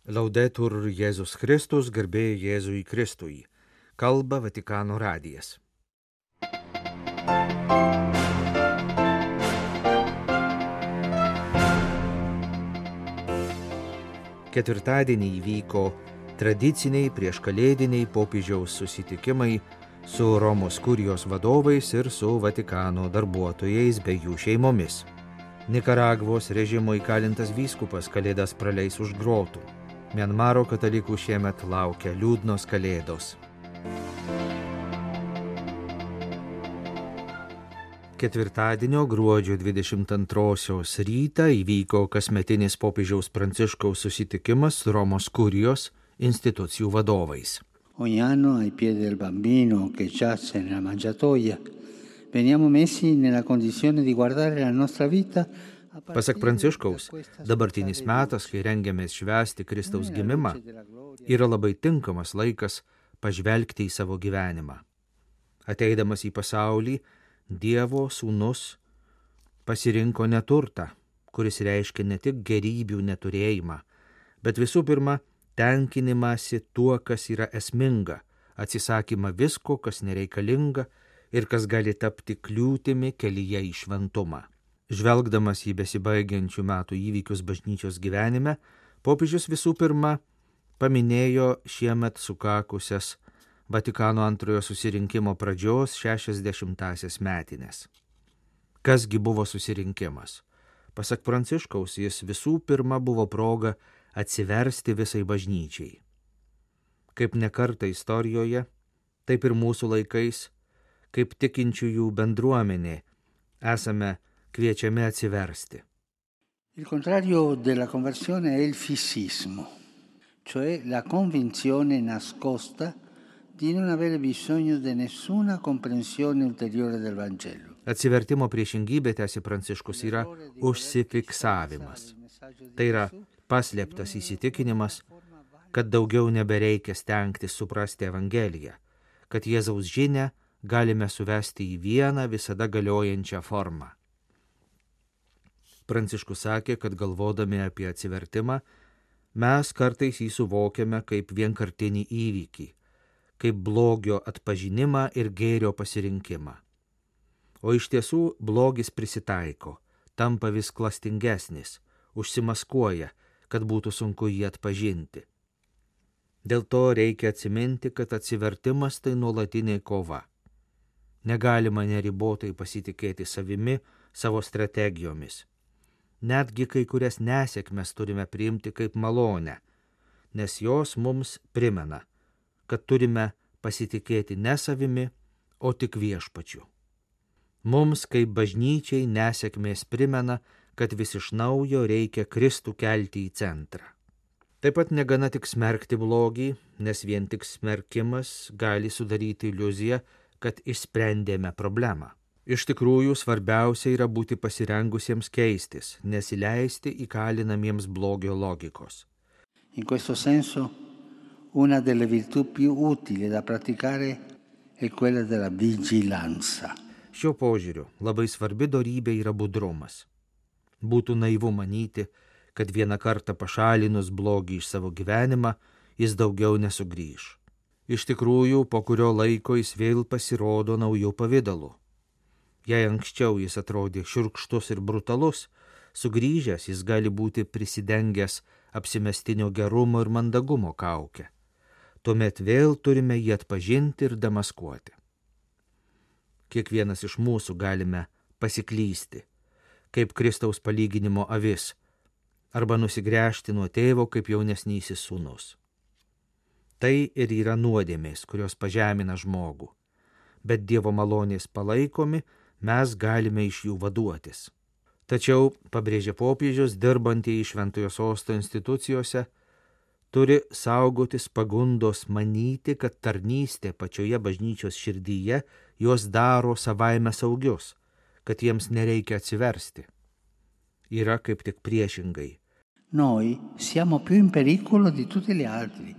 Laudetur Jėzus Kristus, garbė Jėzui Kristui. Kalba Vatikano radijas. Ketvirtadienį įvyko tradiciniai prieškalėdiniai popiežiaus susitikimai su Romos kurijos vadovais ir su Vatikano darbuotojais bei jų šeimomis. Nikaragvos režimo įkalintas vyskupas kalėdas praleis už grotų. Mianmaro katalikų šiemet laukia liūdnos kalėdos. Ketvirtadienio gruodžio 22 rytą įvyko kasmetinis popiežiaus Pranciškaus susitikimas su Romos kurijos institucijų vadovais. Ogni anno ai piedi del bambino che giace nella mangiatoia veniamo messi nella condizione di guardare la nostra vita. Pasak Pranciškaus, dabartinis metas, kai rengiamės švęsti Kristaus gimimą, yra labai tinkamas laikas pažvelgti į savo gyvenimą. Ateidamas į pasaulį, Dievo sūnus pasirinko neturtą, kuris reiškia ne tik gerybių neturėjimą, bet visų pirma tenkinimąsi tuo, kas yra esminga, atsisakymą visko, kas nereikalinga ir kas gali tapti kliūtimi kelyje į šventumą. Žvelgdamas į besibaigiančių metų įvykius bažnyčios gyvenime, popiežius visų pirma paminėjo šiemet sukakusias Vatikano antrojo susirinkimo pradžios 60-asias metines. Kasgi buvo susirinkimas? Pasak Pranciškaus, jis visų pirma buvo proga atsiversti visai bažnyčiai. Kaip nekartą istorijoje, taip ir mūsų laikais, kaip tikinčiųjų bendruomenė, esame kviečiami atsiversti. Il contrario della conversione è il fissismo, cioè la convinzione nascosta di non avere bisogno di nessuna comprensione ulteriore del Vangelo. Atsivertimo priešingybė, tęsė Pranciškus, yra užsifiksavimas. Tai yra paslėptas įsitikinimas, kad daugiau nebereikia stengtis suprasti Evangeliją, kad Jėzaus žinią galime suvesti į vieną visada galiojančią formą. Pranciškus sakė, kad galvodami apie atsivertimą, mes kartais jį suvokiame kaip vienkartinį įvykį, kaip blogio atpažinimą ir gėrio pasirinkimą. O iš tiesų blogis prisitaiko, tampa vis klastingesnis, užsimaskuoja, kad būtų sunku jį atpažinti. Dėl to reikia atsiminti, kad atsivertimas tai nuolatinė kova. Negalima neribotai pasitikėti savimi, savo strategijomis. Netgi kai kurias nesėkmes turime priimti kaip malonę, nes jos mums primena, kad turime pasitikėti ne savimi, o tik viešpačiu. Mums kaip bažnyčiai nesėkmės primena, kad vis iš naujo reikia Kristų kelti į centrą. Taip pat negana tik smerkti blogį, nes vien tik smerkimas gali sudaryti iliuziją, kad išsprendėme problemą. Iš tikrųjų, svarbiausia yra būti pasirengusiems keistis, nesileisti įkalinamiems blogio logikos. In questo senso, una delle virtù più utili da praticare è quella della vigilanza. Šiuo požiūriu labai svarbi dorybė yra budrumas. Būtų naivu manyti, kad vieną kartą pašalinus blogį iš savo gyvenimą, jis daugiau nesugrįš. Iš tikrųjų, po kurio laiko jis vėl pasirodo naujų pavidalų. Jei anksčiau jis atrodė šiurkštus ir brutalus, sugrįžęs jis gali būti prisidengęs apsimestinio gerumo ir mandagumo kaukę. Tuomet vėl turime jį atpažinti ir demaskuoti. Kiekvienas iš mūsų galime pasiklysti, kaip Kristaus palyginimo avis, arba nusigręžti nuo tėvo kaip jaunesnysis sūnus. Tai ir yra nuodėmės, kurios pažemina žmogų, bet Dievo malonės palaikomi, mes galime iš jų vaduotis. Tačiau, pabrėžė popiežius, dirbantieji Šventojo Sosto institucijose turi saugotis pagundos manyti, kad tarnystė pačioje bažnyčios širdyje juos daro savaime saugius, kad jiems nereikia atsiversti. Yra kaip tik priešingai. Noi siamo più in pericolo di tutti gli altri,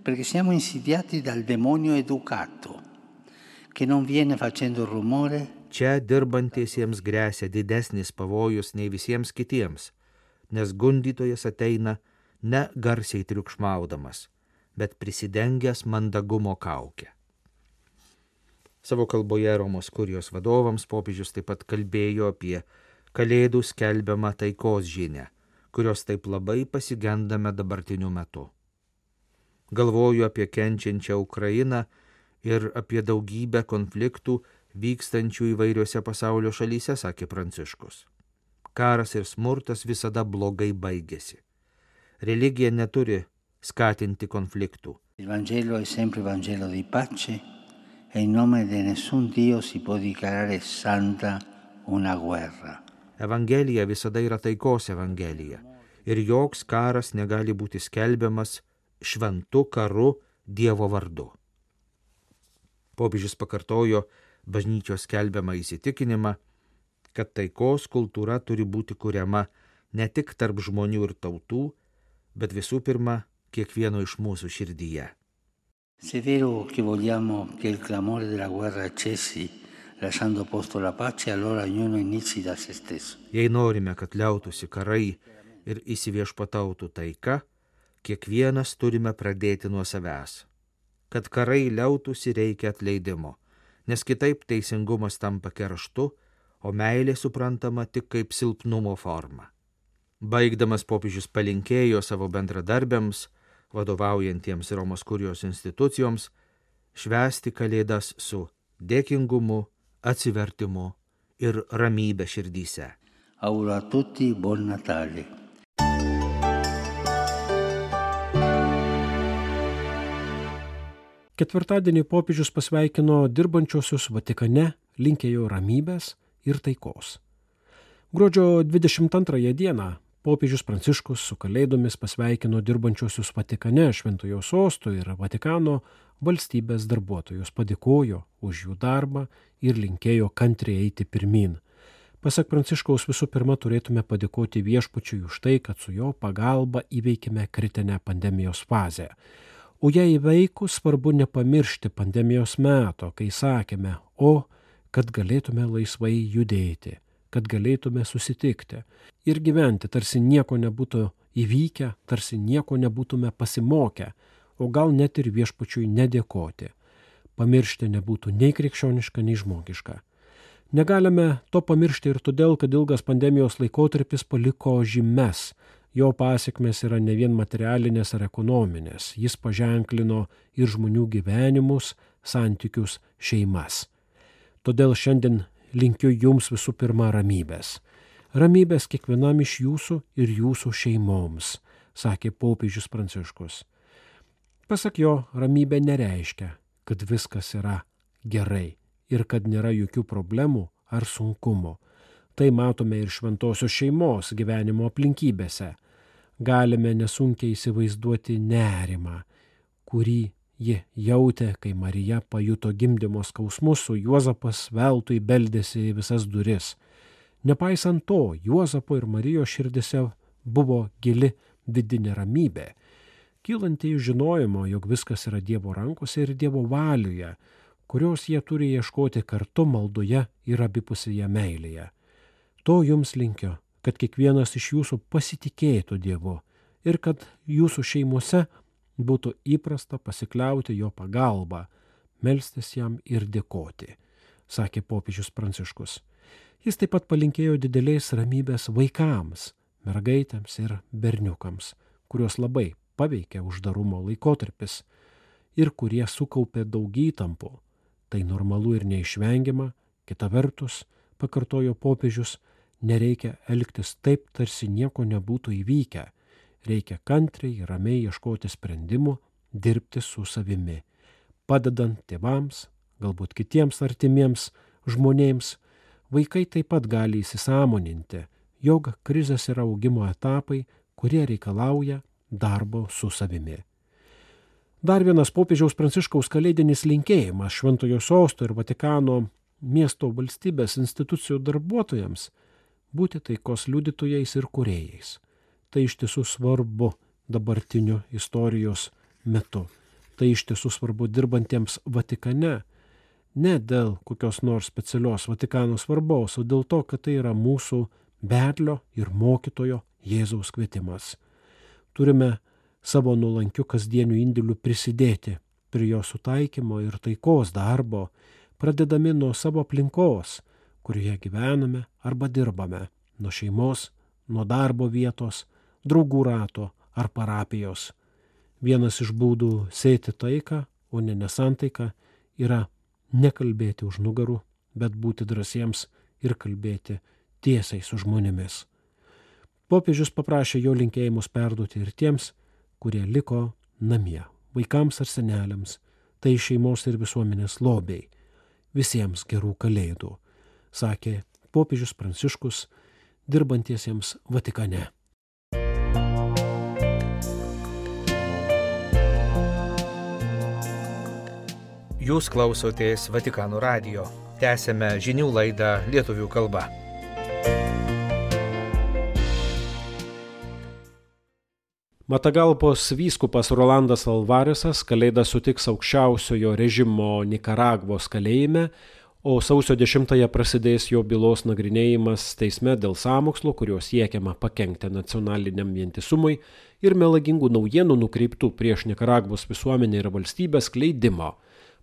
perché siamo insidiati dal demonio educato, che non viene facendo rumore. Čia dirbantiesiems gresia didesnis pavojus nei visiems kitiems, nes gundytojas ateina ne garsiai triukšmaudamas, bet prisidengęs mandagumo kaukę. Savo kalboje Romos kurijos vadovams popiežius taip pat kalbėjo apie Kalėdų skelbiamą taikos žinią, kurios taip labai pasigendame dabartiniu metu. Galvoju apie kenčiančią Ukrainą ir apie daugybę konfliktų vykstančių įvairiose pasaulio šalyse, sakė Pranciškus. Karas ir smurtas visada blogai baigėsi. Religija neturi skatinti konfliktų. Il Vangelo è sempre Vangelo di pace e in nome di nessun Dio si può dichiarare santa una guerra. Evangelija visada yra taikos evangelija ir joks karas negali būti skelbiamas šventu karu Dievo vardu. Popiežius pakartojo bažnyčios skelbiamą įsitikinimą, kad taikos kultūra turi būti kuriama ne tik tarp žmonių ir tautų, bet visų pirma kiekvieno iš mūsų širdyje. Se è vero che vogliamo che il clamore della guerra cessi, lasciando posto alla pace, allora ognuno inizi da se stesso. Jei norime, kad liautųsi karai ir įsiviešpatautų taika, kiekvienas turime pradėti nuo savęs. Kad karai liautųsi, reikia atleidimo, nes kitaip teisingumas tampa kerštu, o meilė suprantama tik kaip silpnumo forma. Baigdamas popiežius palinkėjo savo bendradarbiams, vadovaujantiems Romos kurijos institucijoms, švęsti Kalėdas su dėkingumu, atsivertimu ir ramybe širdyse. Auguro a tutti buon Natale. Ketvirtadienį popiežius pasveikino dirbančiosius Vatikane, linkėjo ramybės ir taikos. Gruodžio 22 dieną popiežius Pranciškus su Kalėdomis pasveikino dirbančiosius Vatikane, Šventojo sosto ir Vatikano valstybės darbuotojus, padėkojo už jų darbą ir linkėjo kantriai eiti pirmyn. Pasak Pranciškaus, visų pirma turėtume padėkoti Viešpačiui už tai, kad su jo pagalba įveikime kritinę pandemijos fazę. O jei įveikus, svarbu nepamiršti pandemijos meto, kai sakėme, kad galėtume laisvai judėti, kad galėtume susitikti ir gyventi, tarsi nieko nebūtų įvykę, tarsi nieko nebūtume pasimokę, o gal net ir Viešpačiui nedėkoti. Pamiršti nebūtų nei krikščioniška, nei žmogiška. Negalime to pamiršti ir todėl, kad ilgas pandemijos laikotarpis paliko žymes. Jo pasiekmes yra ne vien materialinės ar ekonominės. Jis paženklino ir žmonių gyvenimus, santykius, šeimas. Todėl šiandien linkiu jums visų pirma ramybės. Ramybės kiekvienam iš jūsų ir jūsų šeimoms, sakė popiežius Pranciškus. Pasak jo, ramybė nereiškia, kad viskas yra gerai ir kad nėra jokių problemų ar sunkumų. Tai matome ir šventosios šeimos gyvenimo aplinkybėse. Galime nesunkiai įsivaizduoti nerimą, kurį ji jautė, kai Marija pajuto gimdymo skausmus, o Juozapas veltui beldėsi į visas duris. Nepaisant to, Juozapo ir Marijos širdise buvo gili vidinė ramybė, kylanti iš žinojimo, jog viskas yra Dievo rankose ir Dievo valioje, kurios jie turi ieškoti kartu maldoje ir abipusėje meilėje. To jums linkiu, kad kiekvienas iš jūsų pasitikėtų Dievu ir kad jūsų šeimose būtų įprasta pasikliauti jo pagalba, melstis jam ir dėkoti, sakė popiežius Pranciškus. Jis taip pat palinkėjo didelės ramybės vaikams, mergaitėms ir berniukams, kurios labai paveikė uždarumo laikotarpis ir kurie sukaupė daug įtampų. Tai normalu ir neišvengiama, kita vertus, pakartojo popiežius, nereikia elgtis taip, tarsi nieko nebūtų įvykę. Reikia kantriai ir ramiai ieškoti sprendimų, dirbti su savimi, padedant tėvams, galbūt kitiems artimiems žmonėms. Vaikai taip pat gali įsisąmoninti, jog krizės yra augimo etapai, kurie reikalauja darbo su savimi. Dar vienas popiežiaus Pranciškaus kalėdinis linkėjimas Šventojo sosto ir Vatikano miesto valstybės institucijų darbuotojams būti taikos liudytojais ir kūrėjais. Tai iš tiesų svarbu dabartiniu istorijos metu. Tai iš tiesų svarbu dirbantiems Vatikane, ne dėl kokios nors specialios Vatikano svarbos, o dėl to, kad tai yra mūsų vedlio ir mokytojo Jėzaus kvietimas. Turime savo nuolankiu kasdieniu indėliu prisidėti prie jo sutaikymo ir taikos darbo, pradedami nuo savo aplinkos, kurioje gyvename arba dirbame, nuo šeimos, nuo darbo vietos, draugų rato ar parapijos. Vienas iš būdų sėti taiką, o ne nesantaiką, yra nekalbėti už nugarų, bet būti drąsiems ir kalbėti tiesiai su žmonėmis. Popiežius paprašė jo linkėjimus perduoti ir tiems, kurie liko namie, vaikams ar seneliams, tai šeimos ir visuomenės lobiai, visiems gerų kalėdų, sakė popiežius Pranciškus dirbantiesiems Vatikane. Jūs klausotės Vatikano radijo. Tęsėme žinių laidą lietuvių kalba. Matagalpos vyskupas Rolandas Alvaresas Kalėdas sutiks aukščiausiojo režimo Nikaragvos kalėjime, o sausio 10-ąją prasidės jo bylos nagrinėjimas teisme dėl sąmokslo, kuriuo siekiama pakenkti nacionaliniam vientisumui ir melagingų naujienų nukreiptų prieš Nikaragvos visuomenę ir valstybę skleidimo,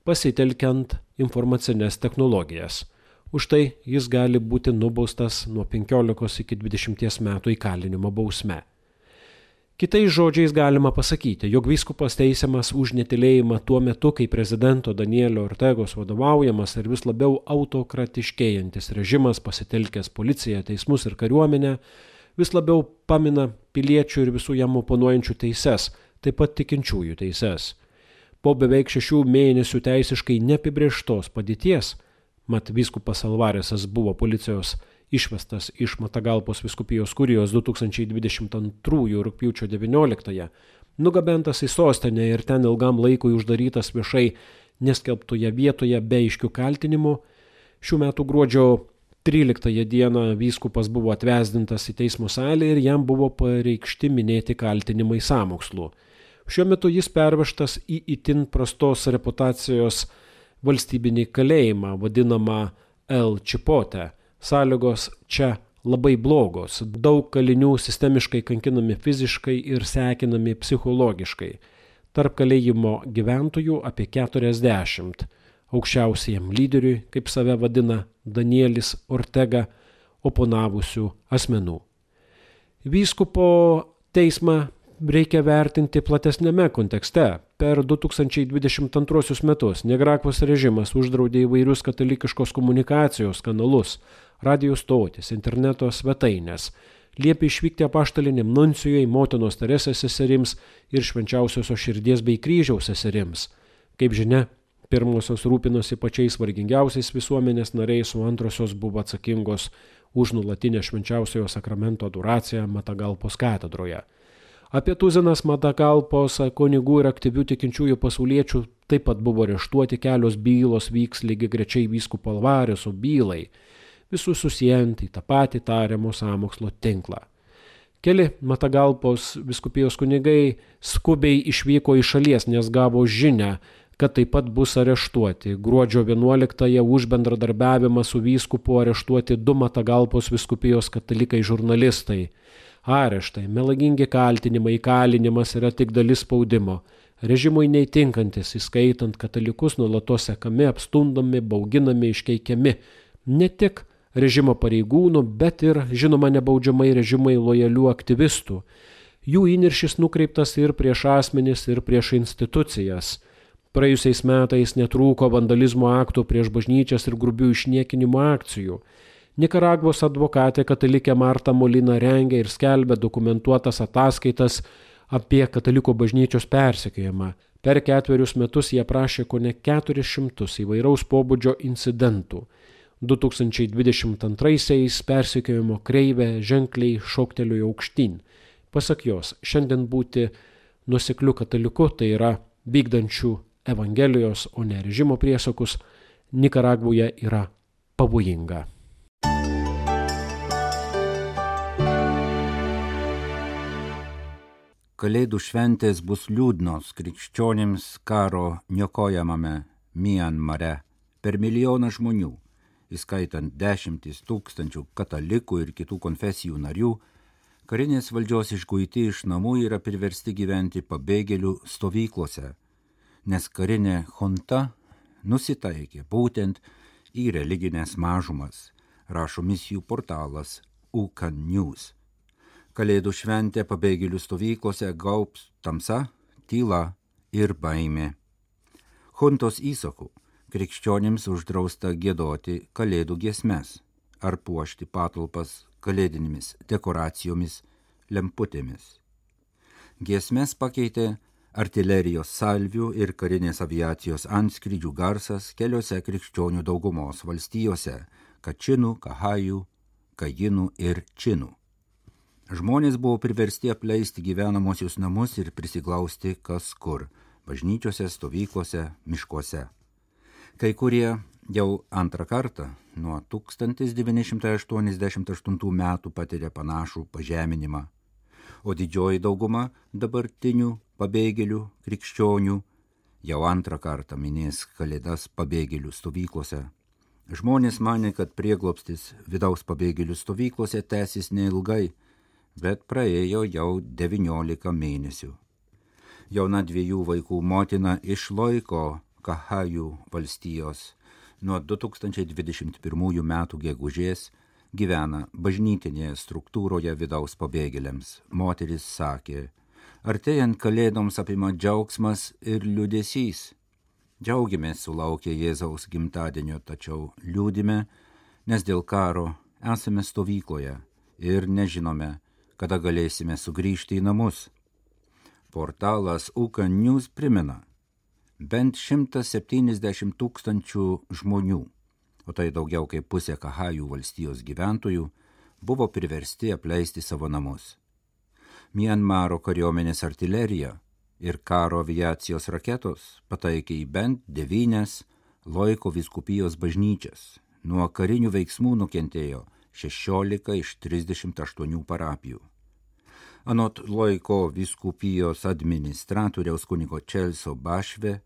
pasitelkiant informacinės technologijas. Už tai jis gali būti nubaustas nuo 15 iki 20 metų įkalinimo bausme. Kitais žodžiais galima pasakyti, jog vyskupas teisiamas už netylėjimą tuo metu, kai prezidento Danielio Ortegos vadovaujamas ir vis labiau autokratiškėjantis režimas, pasitelkęs policiją, teismus ir kariuomenę, vis labiau pamina piliečių ir visų jam oponuojančių teises, taip pat tikinčiųjų teises. Po beveik 6 mėnesių teisiškai neapibrėžtos padėties, mat vyskupas Alvaresas buvo policijos išvestas iš Matagalpos vyskupijos kurijos 2022 rugpjūčio 19, nugabentas į sostinę ir ten ilgam laikui uždarytas viešai neskelbtoje vietoje be aiškių kaltinimų, šių metų gruodžio 13 dieną vyskupas buvo atvesdintas į teismo salę ir jam buvo pareikšti minėti kaltinimai sąmokslu. Šiuo metu jis pervežtas į itin prastos reputacijos valstybinį kalėjimą, vadinamą El Chipote. Sąlygos čia labai blogos, daug kalinių sistemiškai kankinami fiziškai ir sekinami psichologiškai. Tarp kalėjimo gyventojų apie 40, aukščiausiajam lyderiui, kaip save vadina Danielis Ortega, oponavusių asmenų. Vyskupo teismą reikia vertinti platesnėme kontekste. Per 2022 metus Nikaragvos režimas uždraudė įvairius katalikiškos komunikacijos kanalus, radijo stotis, interneto svetainės, liepė išvykti apaštaliniam nuncijui, motinos Teresės seserims ir švenčiausiosios širdies bei kryžiaus seserims. Kaip žinia, pirmosios rūpinosi pačiais vargingiausiais visuomenės nariais, o antrosios buvo atsakingos už nuolatinę švenčiausiojo sakramento adoraciją Matagalpos katedroje. Apie tuzinas Matagalpos kunigų ir aktyvių tikinčiųjų pasauliečių taip pat buvo areštuoti, kelios bylos vyks lygiagrečiai vyskupo Alvareso bylai, visus susijant į tą patį tariamo sąmokslo tinklą. Keli Matagalpos vyskupijos kunigai skubiai išvyko iš šalies, nes gavo žinią, kad taip pat bus areštuoti. Gruodžio 11-ąją už bendradarbiavimą su vyskupu areštuoti 2 Matagalpos vyskupijos katalikai žurnalistai. Areštai, melagingi kaltinimai, įkalinimas yra tik dalis spaudimo. Režimui neįtinkantis, įskaitant katalikus, nuolatos sekami, apstumdomi, bauginami, iškeikiami. Ne tik režimo pareigūnų, bet ir, žinoma, nebaudžiamai režimai lojalių aktyvistų. Jų įniršis nukreiptas ir prieš asmenis, ir prieš institucijas. Praėjusiais metais netrūko vandalizmo aktų prieš bažnyčias ir grubių išniekinimo akcijų. Nikaragvos advokatė katalikė Marta Molina rengia ir skelbia dokumentuotas ataskaitas apie kataliko bažnyčios persekiojimą. Per 4 metus jie aprašė kone 400 įvairaus pobūdžio incidentų. 2022-aisiais persekiojimo kreivė ženkliai šoktelėjo aukštyn. Pasak jos, šiandien būti nuosekliu kataliku, tai yra vykdančių Evangelijos, o ne režimo priesakus, Nikaragvoje yra pavojinga. Kalėdų šventės bus liūdnos krikščionims karo niokojamame Mianmare. Per milijoną žmonių, įskaitant 10 000 katalikų ir kitų konfesijų narių, Karinės valdžios išguiti iš namų yra priversti gyventi pabėgėlių stovyklose, nes karinė junta nusitaikė būtent į religinės mažumas, rašo misijų portalas UCAN News. Kalėdų šventę pabėgėlių stovyklose gaubs tamsa, tyla ir baimė. Juntos įsaku krikščionims uždrausta giedoti kalėdų giesmes ar puošti patalpas kalėdinėmis dekoracijomis, lemputėmis. Giesmes pakeitė artilerijos salvių ir karinės aviacijos antskrydžių garsas keliose krikščionių daugumos valstijose – Kačinų, Kahajų, Kajinų ir Činų. Žmonės buvo priversti apleisti gyvenamosius namus ir prisiglausti kas kur – bažnyčiose, stovyklose, miškuose. Kai kurie jau antrą kartą nuo 1988 metų patiria panašų pažeminimą, o didžioji dauguma dabartinių pabėgėlių krikščionių jau antrą kartą minės kalėdas pabėgėlių stovyklose. Žmonės manė, kad prieglobstis vidaus pabėgėlių stovyklose tęsis neilgai, bet praėjo jau 19 mėnesių. Jauna 2 vaikų motina iš Loiko Kahajų valstijos nuo 2021 metų gegužės gyvena bažnytinėje struktūroje vidaus pabėgėliams. Moteris sakė, artėjant kalėdoms apima džiaugsmas ir liūdesys. Džiaugiamės sulaukę Jėzaus gimtadienio, tačiau liūdime, nes dėl karo esame stovykloje ir nežinome, kada galėsime sugrįžti į namus. Portalas UCAN News primena, bent 170 000 žmonių, o tai daugiau kaip pusė Kahajų valstijos gyventojų, buvo priversti apleisti savo namus. Mianmaro kariuomenės artilerija ir karo aviacijos raketos pataikė į bent 9 Loiko vyskupijos bažnyčias. Nuo karinių veiksmų nukentėjo 16 iš 38 parapijų. Anot Loiko vyskupijos administratoriaus kunigo Čelso Bašve,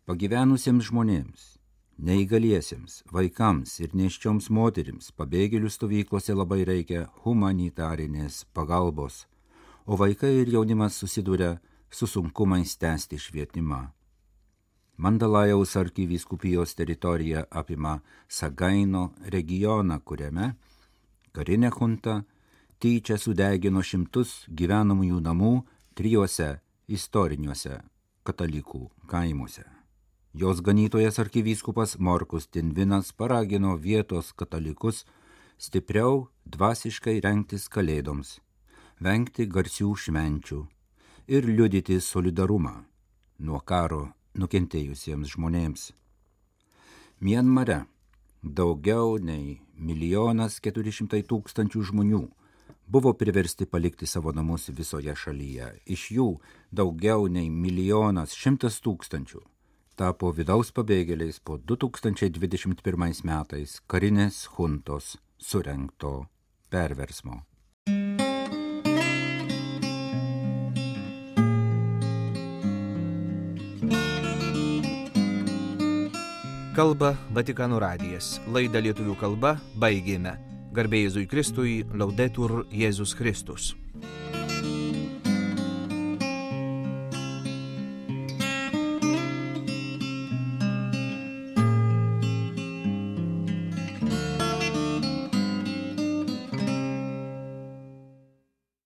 pagyvenusiems žmonėms, neįgaliesiems, vaikams ir nėščioms moterims pabėgėlių stovyklose labai reikia humanitarinės pagalbos, o vaikai ir jaunimas susiduria su sunkumais tęsti švietimą. Mandalajaus arkivyskupijos teritorija apima Sagaino regioną, kuriame karinė junta tyčia sudegino 100 gyvenamųjų namų 3 istoriniuose katalikų kaimuose. Jos ganytojas arkivyskupas Morkus Tinvinas paragino vietos katalikus stipriau dvasiškai rengtis kalėdoms, vengti garsių švenčių ir liudyti solidarumą nuo karo nukentėjusiems žmonėms. Mianmare daugiau nei 1 400 000 žmonių buvo priversti palikti savo namus visoje šalyje. Iš jų daugiau nei 1 100 000 tapo vidaus pabėgėliais po 2021 metais karinės juntos surengto perversmo. Kalba Vatikano radijas. Laidą lietuvių kalba baigėme. Garbė Jėzui Kristui, Laudetur Jėzus Kristus.